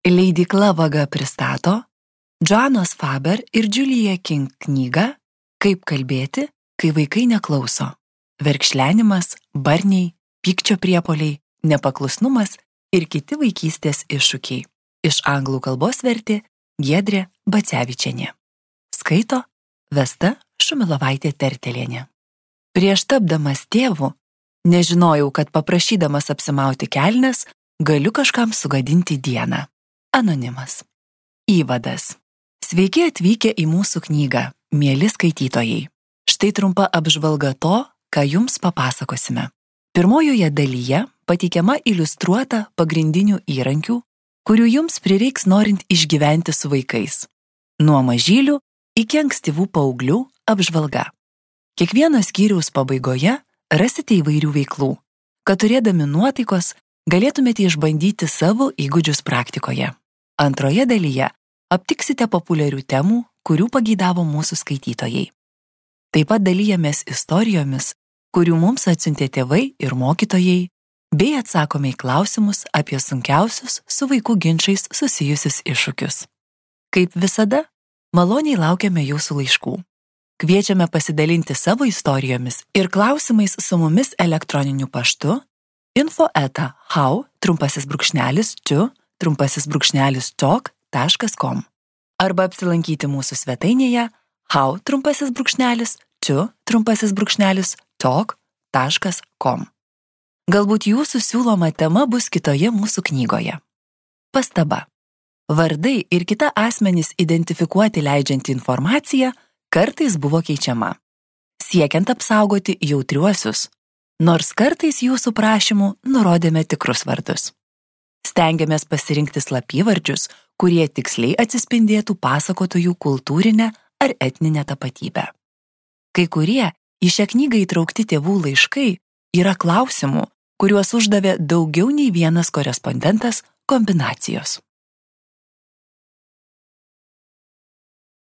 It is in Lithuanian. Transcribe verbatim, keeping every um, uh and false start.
Leidykla Vaga pristato Joannos Faber ir Julia King knygą Kaip kalbėti, kai vaikai neklauso. Verkšlenimas, barniai, pykčio priepuoliai, nepaklusnumas ir kiti vaikystės iššūkiai. Iš anglų kalbos vertė Giedrė Bacevičienė. Skaito Vesta Šumilovaitė Tertelienė. Prieš tapdamas tėvu, nežinojau, kad paprašydamas apsimauti kelnes, galiu kažkam sugadinti dieną. Anonimas. Įvadas. Sveiki atvykę į mūsų knygą, mieli skaitytojai. Štai trumpa apžvalga to, ką jums papasakosime. Pirmojoje dalyje pateikiama iliustruota pagrindinių įrankių, kurių jums prireiks norint išgyventi su vaikais. Nuo mažylių iki ankstyvų paauglių apžvalga. Kiekvieno skyriaus pabaigoje rasite įvairių veiklų, kad turėdami nuotaikos galėtumėte išbandyti savo įgūdžius praktikoje. Antroje dalyje aptiksite populiarių temų, kurių pageidavo mūsų skaitytojai. Taip pat dalyjamės istorijomis, kurių mums atsiuntė tėvai ir mokytojai, bei atsakome į klausimus apie sunkiausius su vaikų ginčais susijusius iššūkius. Kaip visada, maloniai laukiame jūsų laiškų. Kviečiame pasidalinti savo istorijomis ir klausimais su mumis elektroniniu paštu info eta how trumpasis brūkšnelis čiu trumpasis brūkšnelis talk taškas com arba apsilankyti mūsų svetainėje how trumpasis brūkšnelis čiu trumpasis brūkšnelis talk taškas com. Galbūt jūsų siūloma tema bus kitoje mūsų knygoje. Pastaba. Vardai ir kita asmenys identifikuoti leidžianti informacija kartais buvo keičiama, siekiant apsaugoti jautriuosius, nors kartais jūsų prašymų nurodėme tikrus vardus. Stengiamės pasirinkti slapyvardžius, kurie tiksliai atsispindėtų pasakotojų kultūrinę ar etninę tapatybę. Kai kurie į šią knygą įtraukti tėvų laiškai yra klausimų, kuriuos uždavė daugiau nei vienas korespondentas kombinacijos.